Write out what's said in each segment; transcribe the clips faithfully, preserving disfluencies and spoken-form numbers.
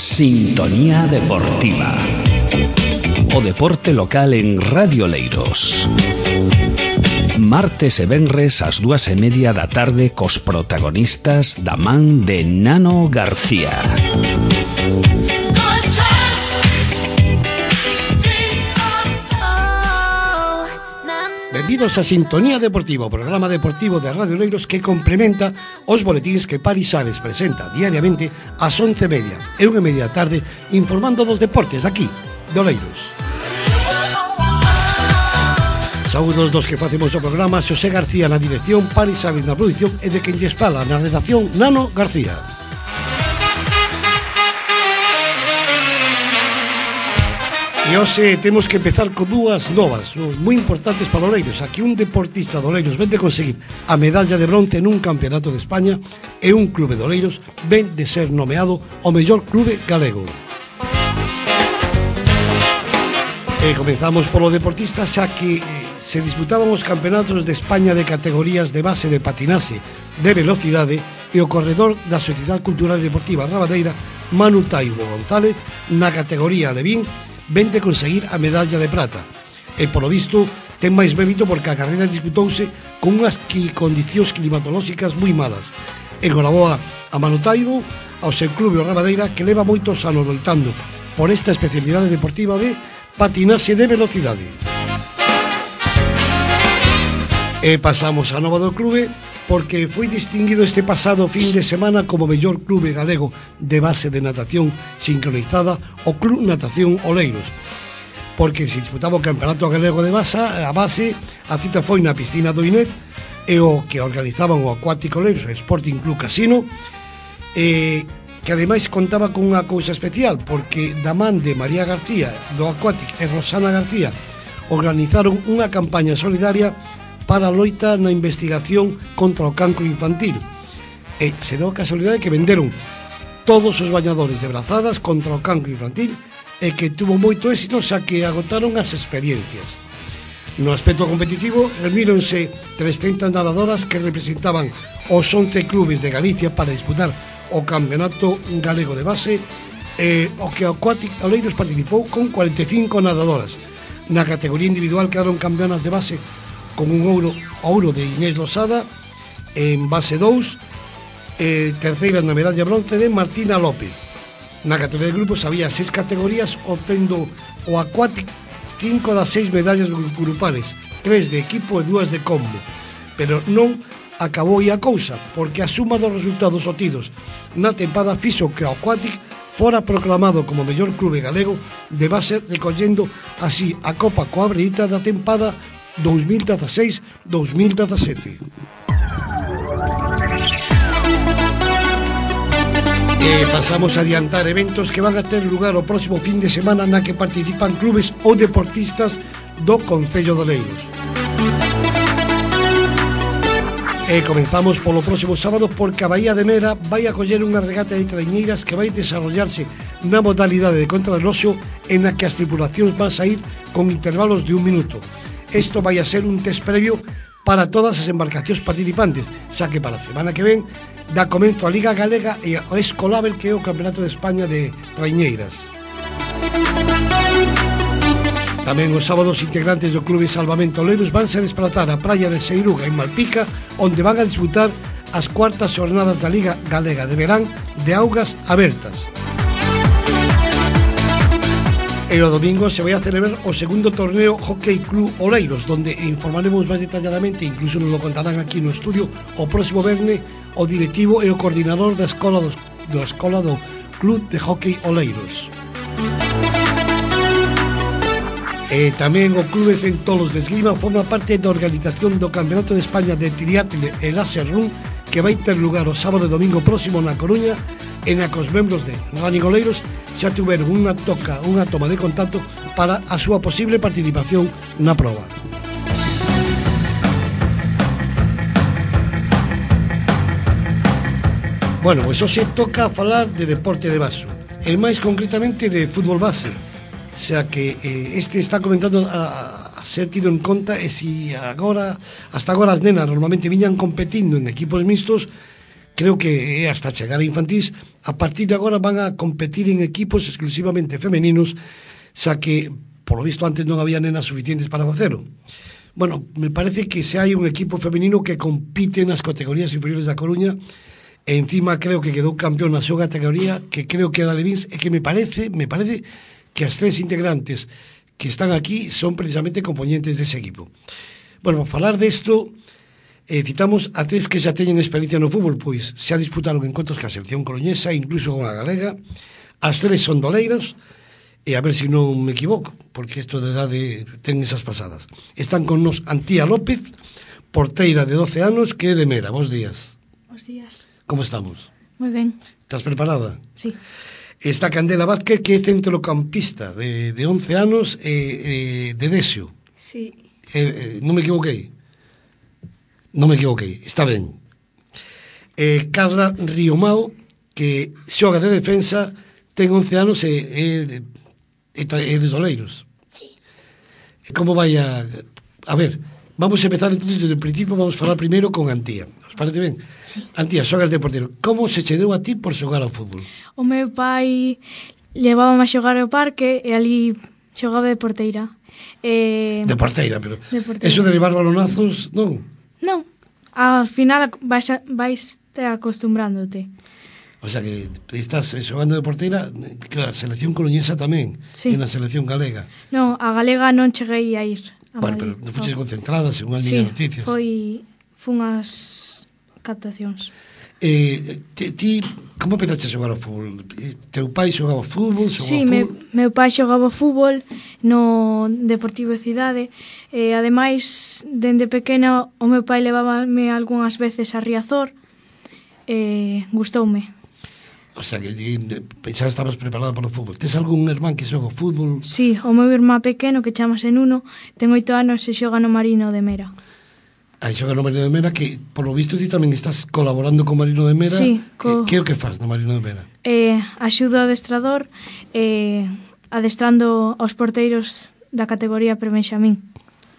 Sintonía Deportiva. O deporte local en Radio Oleiros. Martes e venres ás dúas e media da tarde cos protagonistas da man de Nano García. Benvidos a Sintonía Deportiva, o programa deportivo de Radio Oleiros que complementa os boletíns que Paris Ares presenta diariamente ás once e media e unha e media da tarde informando dos deportes daqui, de Oleiros. Saúdos dos que facemos o programa, Xosé García na dirección, Paris Ares na produción e de quen lles fala na redacción, Nano García. E hoxe temos que empezar con dúas novas moi importantes para Oleiros. Aquí un deportista de Oleiros ven de conseguir a medalla de bronce nun campeonato de España e un clube de Oleiros ven de ser nomeado o mellor clube galego. E comenzamos polo deportista, xa que se disputaban os campeonatos de España de categorías de base de patinaxe de velocidade e o corredor da Sociedade Cultural e Deportiva Rabadeira, Manu Taibo González, na categoría Alevín, ven de conseguir a medalla de prata. E, polo visto, ten máis mérito porque a carreira disputouse con unhas condicións climatolóxicas moi malas. Enhoraboa a Manu Taibo, ao seu clube o Rabadeira, que leva moitos anos loitando por esta especialidade deportiva de patinaxe de velocidade. E pasamos a nova do clube, porque foi distinguido este pasado fin de semana como mellor clube galego de base de natación sincronizada o Club Natación Oleiros, porque se disputaba o Campeonato Galego de base, a base, a cita foi na piscina do Inet, e o que organizaban o Aquático Oleiros, o Sporting Club Casino, e que ademais contaba con unha cousa especial, porque da man de María García do Aquático e Rosana García organizaron unha campaña solidaria para a loita na investigación contra o cancro infantil. E se deu a casualidade que venderon todos os bañadores de brazadas contra o cancro infantil e que tuvo moito éxito, xa que agotaron as experiencias. No aspecto competitivo, reuníronse trescentas nadadoras que representaban os once clubes de Galicia para disputar o Campeonato Galego de Base, e o que o Aquático Oleiros participou con cuarenta e cinco nadadoras. Na categoría individual quedaron campeonas de base con un ouro, ouro de Inés Losada en base dous, e terceira na medalla bronce de Martina López. Na categoría de grupos había seis categorías, obtendo o Aquático cinco das seis medallas grupales, tres de equipo e dúas de combo. Pero non acabou aí a cousa, porque a suma dos resultados obtidos na tempada fixo que o Aquático fora proclamado como mellor clube galego de base, recollendo así a Copa coa Breita da tempada dos mil dieciséis dos mil diecisiete. E pasamos a adiantar eventos que van a ter lugar o próximo fin de semana na que participan clubes ou deportistas do Concello de Oleiros. E comenzamos polo próximo sábado, porque a Bahía de Mera vai acoller unha regata de traiñeiras que vai desarrollarse na modalidade de contrarreloxo, en a que as tripulacións van a ir con intervalos de un minuto. Isto vai a ser un test previo para todas as embarcacións participantes, xa que para a semana que ven dá comenzo a Liga Galega e o Escolabel, que é o Campeonato de España de traiñeiras. Tamén os sábados integrantes do Clube Salvamento Oleiros van se desplazar á praia de Seiruga, en Malpica, onde van a disputar as cuartas xornadas da Liga Galega de Verán de augas abertas. E o domingo se vai a celebrar o segundo torneo Hockey Club Oleiros, donde informaremos máis detalladamente, incluso nos lo contarán aquí no estudio, o próximo verne o directivo e o coordinador da escola do, da escola do Club de Hockey Oleiros. E tamén o Clube Centolos de Esgrima forma parte da organización do Campeonato de España de Triatle e Laser Run, que vai ter lugar o sábado e domingo próximo na Coruña, en a que os membros de Running Oleiros xa tiveron unha toca, unha toma de contacto para a súa posible participación na proba. Bueno, pois hoxe toca falar de deporte de vaso, e máis concretamente de fútbol base, xa que eh, este está comentando a, a ser tido en conta, e si agora, hasta agora as nenas normalmente viñan competindo en equipos mixtos, creo que é hasta chegar a infantís. A partir de agora van a competir en equipos exclusivamente femeninos, xa que, por lo visto, antes non había nenas suficientes para facelo. Bueno, me parece que se hai un equipo femenino que compite nas categorías inferiores da Coruña, e encima creo que quedou campeón na súa categoría, que creo que é da Levins, e que me parece, me parece que as tres integrantes que están aquí son precisamente componentes dese equipo. Bueno, para falar desto, eh, citamos a tres que xa teñen experiencia no fútbol, pois xa disputaron encontros ca selección coruñesa, incluso con a galega. As tres son doleiros, e a ver se non me equivoco, porque isto de edade ten esas pasadas. Están con nos Antía López, porteira de doce anos, que é de Mera. Bos días. Bos días. Como estamos? Moi ben. Estás preparada? Sí. Está Candela Vázquez, que é centrocampista de, de once anos, e eh, de Desio. Sí. Eh, eh, non me equivoquei? Non me equivoquei, está ben. Eh, Carla Riomao, que xoga de defensa, ten once anos e é, é, é de Doleiros. Sí. Como vai a... A ver, vamos a empezar entonces desde o principio, vamos a falar primeiro con Antía. Os parece ben? Sí. Antía, xogas de portero. Como se che deu a ti por xogar ao fútbol? O meu pai levábame a xogar ao parque e ali xogaba de porteira. E... De porteira, pero... De porteira. Eso de derribar balonazos, non? Non. Ao final vais, a, vais te acostumbrándote. O sea que estás xogando de porteira, claro, selección coruñesa tamén, sí. E na selección galega. Non, a galega non cheguei a ir. A bueno, Madrid. pero non fuches no. concentrada, según as sí, miñas noticias. foi... fun as captacións. Eh, ti, ti, como empezaste a xogar ao fútbol? Teu pai xogaba fútbol? Xogaba Sí, me, meu pai xogaba fútbol no Deportivo Cidade e ademais, dende pequena o meu pai levábame algunhas veces a Riazor e gustoume. O sea, que pensaba que estabas preparada para o fútbol. Tes algún irmán que xoga fútbol? Sí, o meu irmán pequeno, que chamase Nuno, ten oito anos e xoga no Marino de Mera. Aí xoga no Marino de Mera, que, por lo visto, ti tamén estás colaborando co Marino de Mera. Sí. Co... Que é o que faz no Marino de Mera? Eh, axudo ao adestrador eh, adestrando aos porteiros da categoría prebenxamín.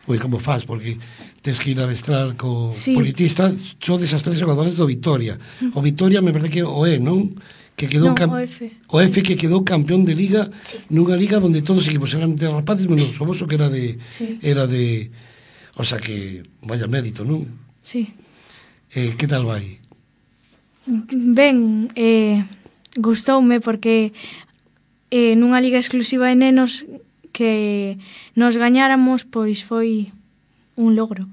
Ui, como faz? Porque tes que ir a adestrar co sí. politista. Son desas tres xogadores do Vitoria. O Vitoria me parece que o é, non? Que quedou non, cam... o F. O F que quedou campeón de liga, sí. Nunha liga onde todos os equipos eran de rapaces, menos o voso que era de... Sí. Era de... O sea que, vaya mérito, non? Sí. Eh, que tal vai? Ben, eh, gustoume porque eh, nunha liga exclusiva de nenos que nos gañáramos, pois foi un logro.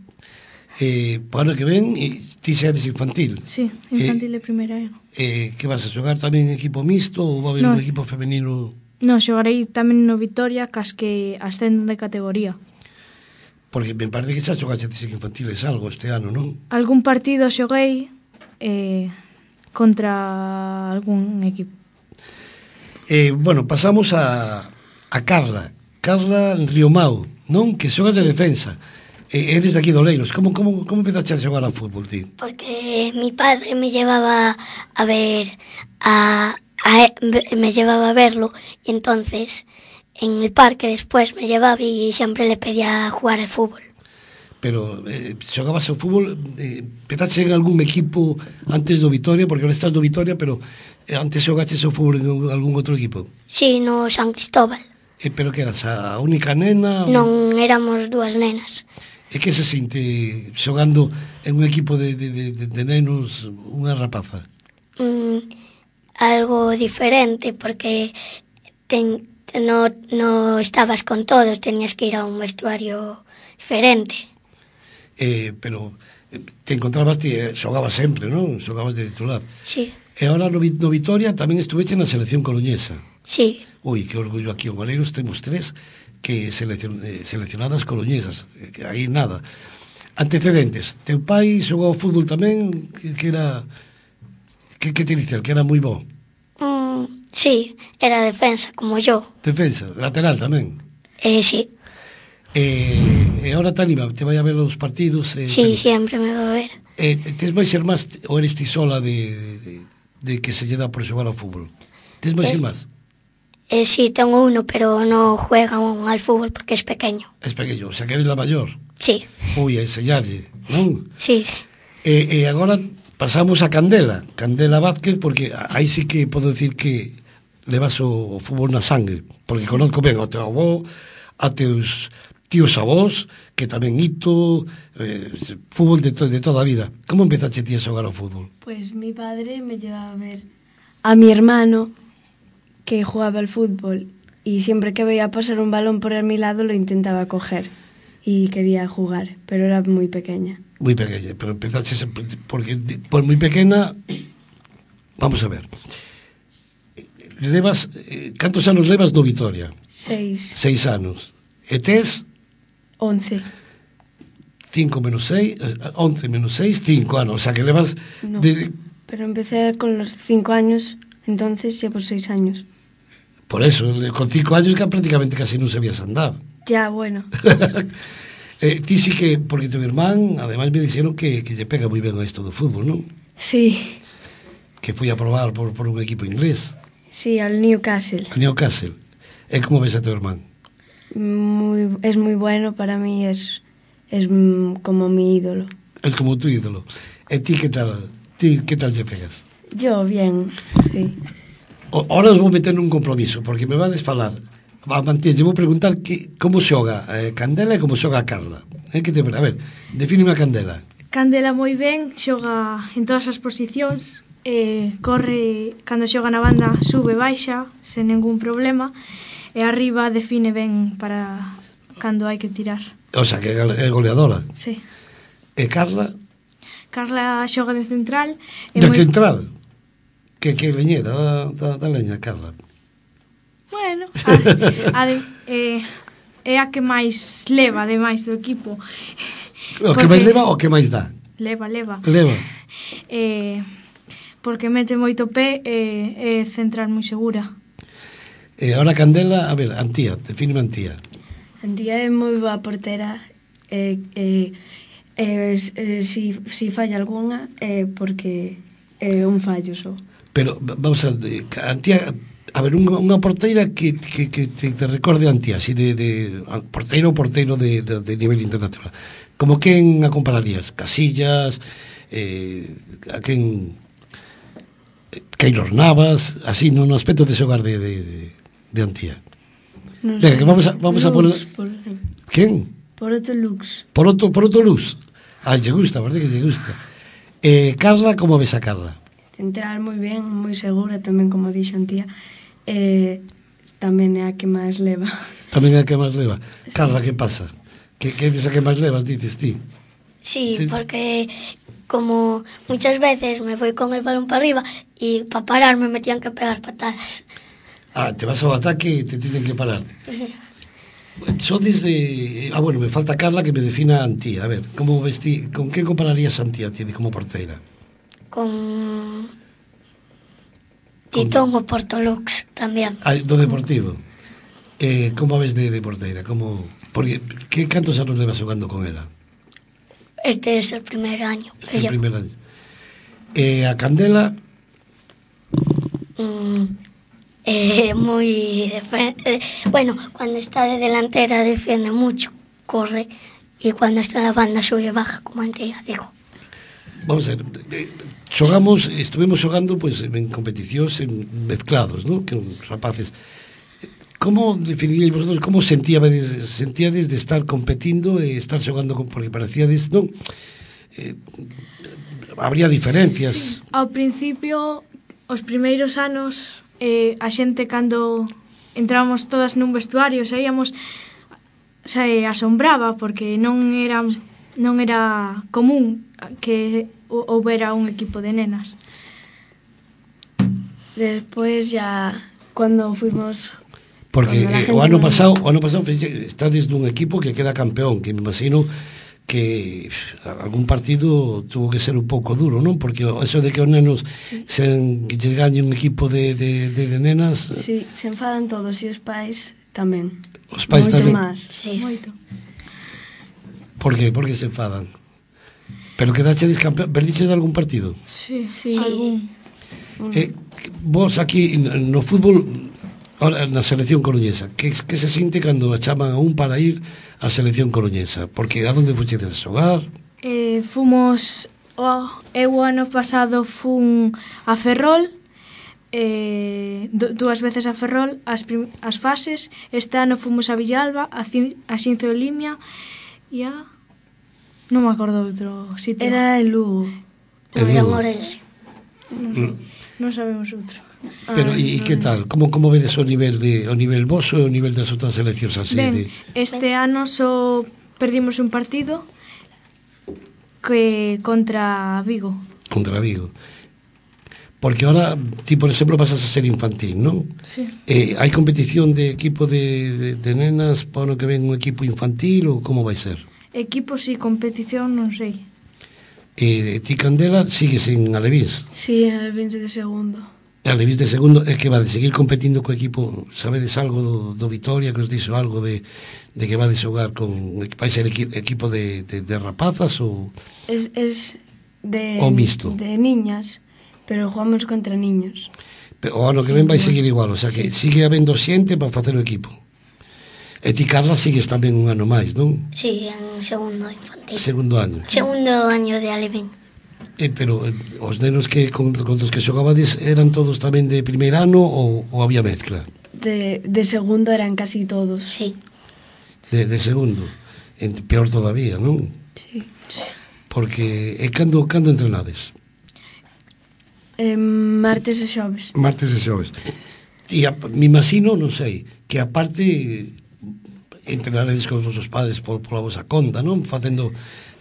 Eh, para ano que ven, e ti xa eres infantil. Sí, infantil eh, de primeira era. Eh, que vas a xogar tamén en equipo mixto ou va a haber no. un equipo femenino? Non, xogarei tamén no Vitoria, cas que ascenden de categoría. Porque me parece que xa xogaxetes en infantiles algo este ano, non? Algún partido xoguei eh, contra algún equipo. Eh, bueno, pasamos a, a Carla. Carla Riomao, non? Que xogas de defensa. Eh, eres de aquí de Oleiros. Como, como, como empezaste a xogar ao fútbol, ti? Porque mi padre me llevaba a ver, a, a, me llevaba a verlo, y entonces en el parque después me llevaba y siempre le pedía jugar al fútbol. Pero eh, xogabas ao fútbol, eh, empezaste en algún equipo antes do Vitoria, porque ahora estás do Vitoria, pero eh, antes xogaste ao fútbol en algún outro equipo? Sí, no San Cristóbal. Eh, pero que eras a única nena? Non, éramos dúas nenas. E que se sinte xogando en un equipo de, de, de, de nenos unha rapaza? Mm, algo diferente, porque ten, no, no estabas con todos, tenías que ir a un vestuario diferente. Eh, pero te encontrabas, ti, eh, xogabas sempre, non? Xogabas de titular. Sí. E agora no, no Vitoria tamén estuveche na selección coruñesa. Sí. Ui, que orgullo aquí en Oleiros, temos tres que seleccion, eh, seleccionadas coruñesas, eh, que aí nada. Antecedentes, teu pai xogou ao fútbol tamén, que, que era... Que, que te dice, que era moi bo? Mm, sí, era defensa, como yo. Defensa, lateral tamén. Eh, sí. Eh, e agora te anima, te vai a ver os partidos? Eh, sí, siempre me va a ver. Eh, tes máis ser máis, ou eres ti sola de, de, de que se lle dá por xogar ao fútbol? Tes máis eh, ser máis? Eh, sí, tengo uno, pero no juega al fútbol porque es pequeño. Es pequeño, o sea que eres la mayor. Sí. Ui, a enseñarlle, non? Sí. E, e agora pasamos a Candela, Candela Vázquez, porque aí sí que podo decir que levas o fútbol na sangre, porque conozco ben ao teu avó, a teus tíos avós, que tamén hito, eh, fútbol de, to, de toda a vida. Como empezaste ti a xogar ao fútbol? Pues mi padre me llevaba a ver a mi hermano que jugaba al fútbol y siempre que veía pasar un balón por a mi lado lo intentaba coger y quería jugar, pero era muy pequeña. Muy pequeña, pero empezaste porque por moi pequena, vamos a ver. Levas, eh, cantos anos levas no Vitoria? Seis. Seis anos. E tes? Once. Cinco menos seis, once menos seis, cinco anos. O sea que levas... No, de... pero empecé con los cinco años, entonces llevo seis años. Por eso, con cinco años que prácticamente casi non sabías andar. Ya, bueno. eh, ti sí que, porque tu irmán, además me dixeron que, que lle pega moi ben a isto do fútbol, non? Sí. Que foi a probar por, por un equipo inglés. Sí, al Newcastle. Al Newcastle. E como ves a tu irmán? Muy, es muy bueno, para mí es, es como mi ídolo. Es como tu ídolo. E ti que tal? Ti que tal lle pegas? Yo, bien, sí. O, ahora os vou meter nun compromiso, porque me vades falar. A Mantilla, lle vou preguntar que, como xoga eh, Candela e como xoga a Carla. Eh, que te, a ver, defíneme a Candela. Candela moi ben, xoga en todas as posicións, eh, corre, cando xoga na banda, sube, baixa, sen ningún problema, e arriba define ben para cando hai que tirar. O sea, que é goleadora. Sí. E Carla? Carla xoga de central. De moi... central? Que, que leñera da, da, da leña, Carla. Bueno, a, a de, eh, é a que máis leva, ademais do equipo. O que máis leva ou o que máis dá? Leva, leva. Leva. Eh, porque mete moito pé e eh, é central moi segura. E agora Candela, a ver, Antía, defíneme Antía. Antía é moi boa portera e eh, eh, eh, si, si falla algunha é eh, porque é eh, un fallo só. Pero, vamos a ver, Antía, a ver, unha, unha porteira que, que, que te, te recorde a Antía, así de, de porteiro ou porteiro de, de, de nivel internacional. Como quen a compararías? Casillas, eh, a quen... Keylor Navas, así, no, no aspecto de xogar de, de, de, de Antía. No Venga, que vamos a, vamos Lux, a poner... Por... Quen? Por outro Lux. Por outro, por outro Luz. Ah, lle gusta, verdade que lle gusta. Eh, Carla, como ves a Carla? Central moi ben, moi segura tamén, como dixo Antía. Eh, tamén é a que máis leva. Tamén é a que máis leva. Carla, que pasa? Que, que dices a que máis levas, dices ti? Sí, Sí. porque como muchas veces me voy con el balón para arriba y para pararme me tenían que pegar patadas. Ah, te vas ao ataque e te tienen que parar. Só desde... Ah, bueno, me falta Carla que me defina a Antía. A ver, como ves ti, con que compararías a Antía ti como porteira? Con Titón o Portolux tamén. Ah, do Deportivo. Eh, como a ves de, de porteira? Como... Porque, que cantos anos levas xogando con ela? Este es el primer año. Es el primer año. Eh, a Candela... Mm, eh, muy... Eh, bueno, cuando está de delantera defiende mucho, corre, y cuando está en la banda sube y baja, como antes digo. Vamos a ver, eh, xogamos, estuvimos xogando pues, en competicións en mezclados, ¿no? Que os rapaces. Como definiríais vosotros, como sentíades, sentíades de estar competindo e estar xogando con, porque parecíades, non? Eh, habría diferencias. Sí. Ao principio, os primeiros anos, eh, a xente cando entrábamos todas nun vestuario, saíamos, se asombraba porque non era non era común que houbera un equipo de nenas. Despois ya cuando fuimos... Porque cuando eh, o ano non... pasado, o ano pasado estades nun equipo que queda campeón, que me imagino que algún partido tuvo que ser un pouco duro, non? Porque eso de que os nenos sí. sen que lle gañe un equipo de, de, de nenas... Sí, se enfadan todos e os pais tamén. Os pais moito tamén. Más. Sí. Moito. Por que? Por que se enfadan? Pero quedachedes campeón, perdiches algún partido? Sí, sí. algún. Eh, vos aquí no fútbol, ahora na selección coruñesa, que, que se sinte cando chaman a un para ir á selección coruñesa? Porque a donde fuchedes a xogar? Eh, fomos O, eu o ano pasado fun a Ferrol, eh, dúas veces a Ferrol, as, prim, as fases. Este ano fomos a Villalba, a, Cin, a Xinzo de Limia e a... non me acordo outro sitio. Era el Lugo. Non era Morense. Non, non sabemos outro. Pero e que tal? Como como vedes o nivel de o nivel voso e o nivel das outras seleccións así Ben, de este ano só perdimos un partido que contra Vigo. Contra Vigo. Porque ahora, ti, por exemplo, pasas a ser infantil, non? Sí. Eh, hai competición de equipo de, de, de nenas para o ano que ven un equipo infantil ou como vai ser? Equipos e competición non sei. E ti, Candela, sigues en Alevís. Sí, el veinte de segundo. Alevís de segundo, é que va de seguir competindo co equipo, sabedes algo do, do Vitoria, que os dixo algo de, de que va de xogar con, vai ser equi, equipo de, de, de rapazas ou... Es, es de, O mixto. de niñas, pero jugamos contra niños. Pero o ano que ven vai seguir igual, o sea que sí. Sigue habendo xente para facer o equipo. E ti, Carla, sigues tamén un ano máis, non? Sí, en segundo infantil. Segundo año. Segundo año de Alevín. Eh, pero eh, os nenos que con, con os que xogabades eran todos tamén de primeiro ano ou, ou había mezcla? De, de segundo eran casi todos. Sí. De, de segundo. En, peor todavía, non? Sí. sí. Porque é cando, cando entrenades? Eh, martes e xoves. Martes e xoves. E a, me imagino, non sei, que aparte entrenaredes con os vosos padres por, por a vosa conta, non? Facendo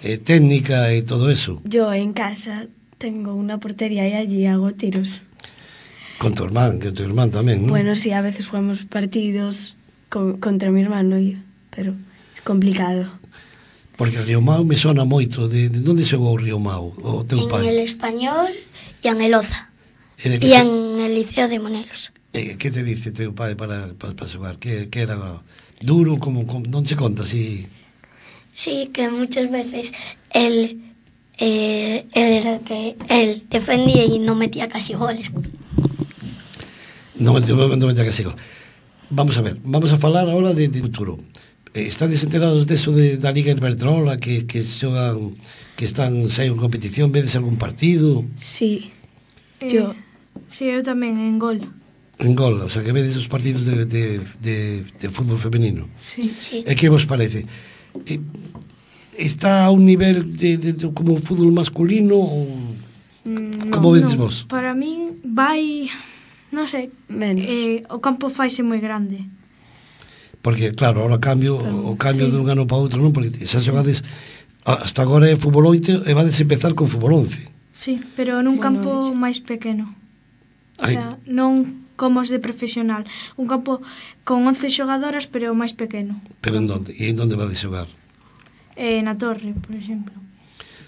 eh, técnica e todo eso. Yo en casa tengo una portería y allí hago tiros. Con tu hermán, que tu hermán tamén, non? Bueno, sí, a veces jugamos partidos con, contra mi hermano, y, pero es complicado. Porque Río Mau me sona moito. De, de onde xogou o Río Mau, o teu En pai? el Español y en el Oza. E, de Y que, en el Liceo de Monelos. e que te dice teu pai para, para, para xogar? Que, que era duro, como, como non se conta, si... Sí, que muchas veces él, eh, él era el que él defendía y no metía casi goles. Non, non, non me tenga que sigo. Vamos a ver, vamos a falar ahora de, de futuro. Eh, estades enterados deso de, da Liga Iberdrola que, que xogan, que están saen en competición, vedes algún partido Sí. Eh, Yo. Sí, eu tamén en gol. en gol, o sea que vedes os partidos de, de, de, de fútbol femenino. Sí. Sí. E que vos parece? Eh, está a un nivel de, de, de como o fútbol masculino ou Mm, como vedes non. vos? Para min vai, non sei, Menos. eh, o campo faise moi grande. Porque claro, ahora cambio, o cambio sí. de un ano para outro, non? Porque xa xogades hasta agora é fútbol oito e vades empezar con fútbol once. Sí, pero nun Bueno, campo iso. máis pequeno. O Ai. sea, non como os de profesional. Un campo con once xogadoras, pero máis pequeno. Pero en donde? E en donde vades xogar? Eh, na torre, por exemplo.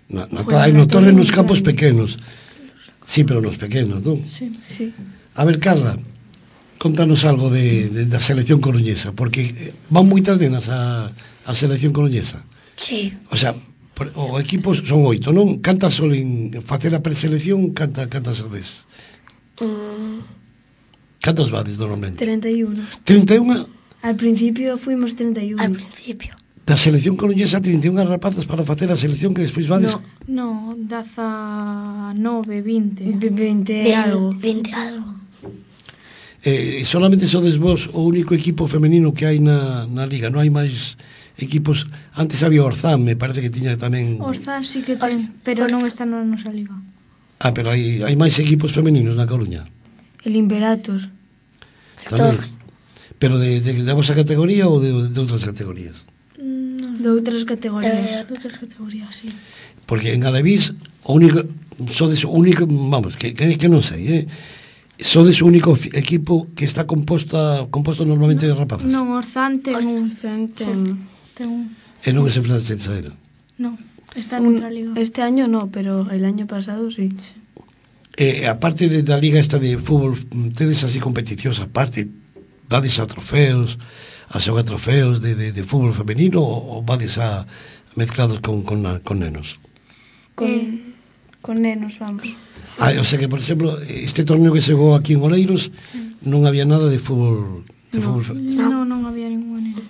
Na, na, Pois hai na no torre torre nos moi campos grande. pequenos. Sí, pero nos pequenos, non? Sí. Sí. A ver, Carla, contanos algo de, de, da selección coruñesa, porque eh, van moitas nenas a, a selección coruñesa. Sí. O sea, por, o equipo son oito, non? Cantas solen facer a preselección, canta, cantas vades? Mm, Cantas vades normalmente? treinta y uno. trinta e unha Al principio fuimos treinta y uno. al principio. da selección coruñesa, trinta e unha rapazas para facer a selección que despois vades... No. No, dezanove, vinte. Ve- veinte Bien, algo. veinte algo. Eh, solamente sodes vos o único equipo femenino que hai na, na liga, non hai máis equipos. Antes había Orzán, me parece que tiña tamén... Orzán sí que ten, pero non está na nosa liga. Ah, pero hai, hai máis equipos femeninos na Coruña El Imperator. tamén. Torre. Pero de, de, de vosa categoría ou de, de outras categorías? De outras categorías. De outras categorías, sí. Porque en Alevís o único sodes o único, vamos, que, que, que non sei, eh? Sodes o único fi- equipo que está composta composto normalmente de rapazas. Non, Orzán ten un... Orzán ten- Ten un... E non é sempre de Saera. Non, está Un- noutra liga. este año no, pero el año pasado sí. E aparte de, da liga esta de fútbol, tedes así competicións aparte, dades a trofeos, a xogar trofeos de, de, de fútbol femenino ou, ou vades a mezclados con, con, na- con nenos? Con, Eh. con nenos, vamos. Ah, o sea que, por exemplo, este torneo que se jugou aquí en Oleiros non había nada de fútbol de No. fútbol fe- Non, non había ningún neno.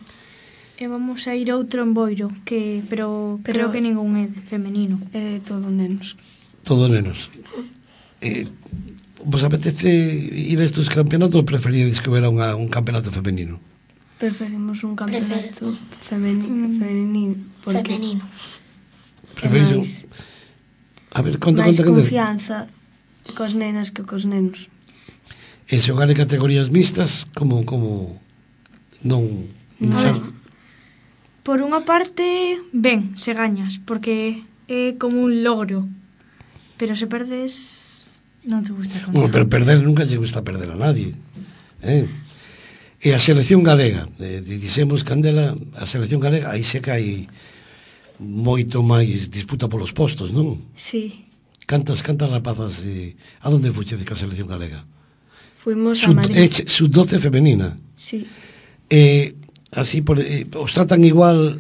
E vamos a ir outro en Boiro, que pero, Pero- creo que ningún é femenino. É todo nenos. Todo nenos. Eh, vos apetece ir a estes campeonatos ou preferíades que hubiera unha, un campeonato femenino? Preferimos un campeonato femenino, femenino porque Femenino. Preferís é un... máis, A ver, conta, máis conta, conta. confianza cos nenas que cos nenos. E xogar en categorías mixtas, como, como non... A xa- ver. Por unha parte, ben, se gañas, porque é como un logro. Pero se perdes, non te gusta tanto. Bueno, pero perder nunca lle gusta perder a nadie. Eh? E a selección galega, eh, dixemos, Candela, a selección galega, aí se cae moito máis disputa polos postos, non? Sí, Cantas, cantas rapazas, eh, a donde fuchedes ca selección galega? fuimos a Sub, Madrid. eh, sub doce femenina. Sí, Eh, así, por, eh, os tratan igual,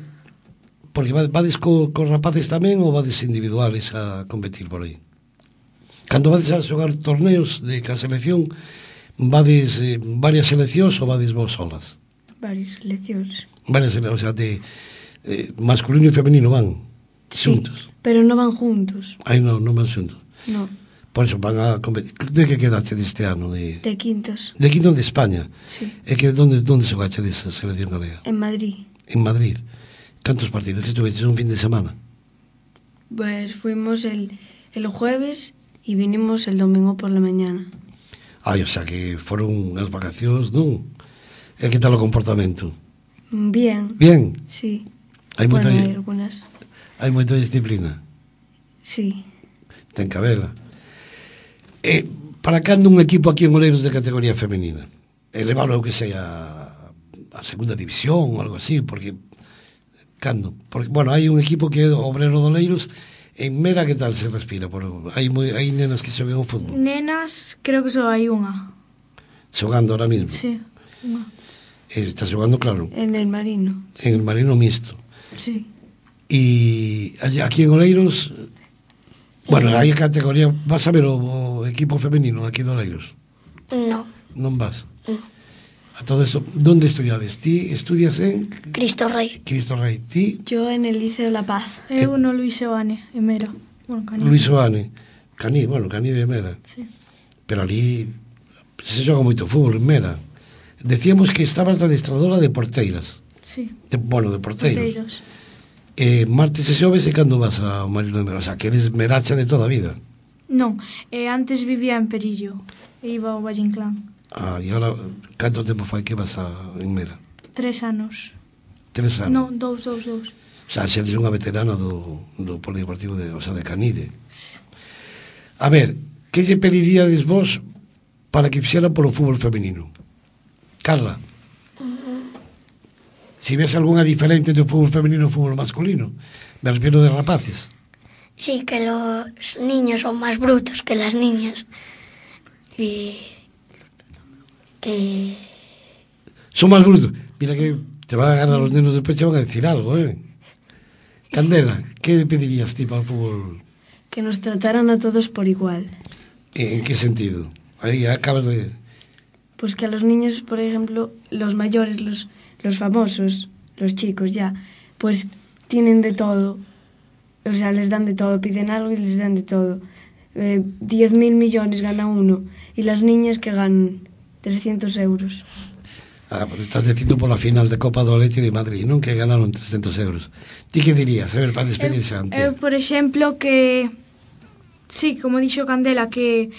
porque va- vades co, co rapaces tamén ou vades individuales a competir por aí? Cando vades a xogar torneos de ca selección, vades eh, varias seleccións ou vades vos solas? varias leccións. Varias seleccións, o sea, de eh, masculino e femenino van xuntos. Sí, pero non van juntos. Aí non, non van xuntos. No, Por eso van a competir. De que quedaste deste ano? De, de quintos. de quinto de España. Sí, É que donde, donde xogaste desa selección galega? en Madrid. En Madrid. Cantos partidos que estuveches un fin de semana? Pues fuimos el, el jueves y vinimos el domingo por la mañana. Ai, o sea que foron as vacacións, non? E que tal o comportamento? Bien, Bien, sí. hai moita, Bueno, hay algunas. hai moita disciplina. Sí. Ten que habela. E para cando un equipo aquí en Oleiros de categoría femenina? Elevalo que sea a segunda división ou algo así, porque cando? Porque, bueno, hai un equipo que é Obrero de Oleiros. En Mera que tal se respira? Por, hai, moi, hai nenas que xogan o fútbol Nenas, creo que só hai unha. xogando ahora mismo. Sí, unha. E está xogando, claro, En el Marino. en el Marino Mixto. Sí. E allí- aquí en Oleiros, bueno, hai categoría, vas a ver o, o equipo femenino aquí de Oleiros? No. Non vas? No. A todo isto, donde estudiades? Ti estudias en Cristo Rey. Cristo Rey, ti, Yo en el Liceo La Paz. Eu no Luis Seoane, en Mera. Bueno, Canino. Luis Oane, Caní, bueno, Caní de Mera, Sí. pero ali se xoga moito fútbol en Mera. Decíamos que estabas de adestradora de porteiras, Sí. de, bueno, de porteiros. Porteiros. Eh, martes e xoves e cando vas ao Marino de Mera, o sea, que eres meracha de toda a vida. Non, eh, antes vivía en Perillo e iba ao Valle Inclán. Ah, e agora, canto tempo fai que vas a, en Mera? Tres anos. Tres anos. Non, dous, dous, dous. O sea, xa eres unha veterana do, do polideportivo de, o sea, de Canide. A ver, que lle pediríades vos para que fixera polo fútbol femenino? Carla, si ves algunha diferente do fútbol femenino e fútbol masculino, me refiero de rapaces. Sí, que los niños son más brutos que las niñas. Y que... Son máis brutos. Mira que te van a agarrar los nenos despois, te van a decir algo, eh? Candela, que pedirías ti para o fútbol? Que nos trataran a todos por igual. En que sentido? Aí acabas de... Pues que a los niños, por ejemplo, los mayores, los, los famosos, los chicos ya, pues tienen de todo. O sea, les dan de todo, piden algo y les dan de todo. Eh, diez mil millones gana uno y las niñas que ganan trescientos euros. Ah, pues estás dicindo pola final de Copa do Leite de Madrid, non? Que ganaron trescentos euros. Ti que dirías? A ver, para despedirse Eu, antes. eu, por exemplo, que... Sí, como dixo Candela, que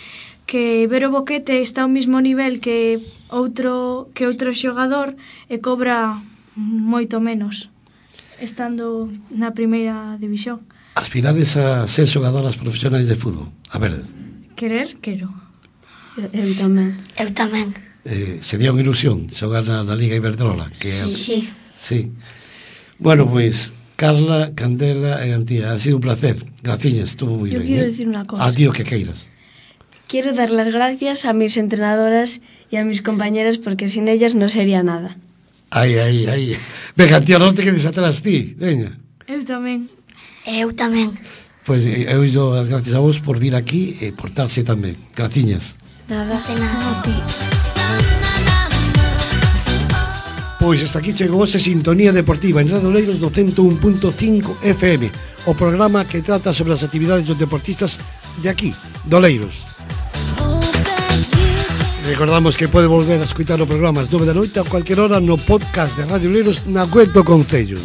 que Vero Boquete está ao mismo nivel que outro que outro xogador e cobra moito menos estando na primeira división. Aspirades a ser xogadoras profesionais de fútbol? A ver, Querer, quero. Eu, eu tamén. Eu tamén. eh, sería unha ilusión xogar na, na Liga Iberdrola, que é... Sí. Sí. Bueno, pois, pues, Carla, Candela e Antía, ha sido un placer. Graciñas, estuvo moi Yo ben. quiero eh? decir una cosa. A ti o que queiras. Quiero dar las gracias a mis entrenadoras y a mis compañeras porque sin ellas no sería nada. Ai, ai, ai. Venga, Antía, non te quedes atrás ti. Veña. Eu tamén. Eu tamén. Pois pues, eu dou as gracias a vos por vir aquí e portarse tamén. Graciñas. Nada. De nada. A ti. Pois hasta aquí chegou esa sintonía deportiva en Radio Oleiros no ciento un punto cinco F M, o programa que trata sobre as actividades dos deportistas de aquí, de Oleiros. Recordamos que pode volver a escutar o programa ás nove da noite a cualquier hora no podcast de Radio Oleiros na web do Concello.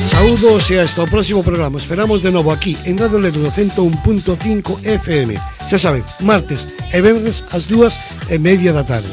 Saúdos e hasta o próximo programa. Esperamos de novo aquí en Radio Oleiros no ciento un punto cinco F M. Xa saben, martes e venres ás dúas e media da tarde.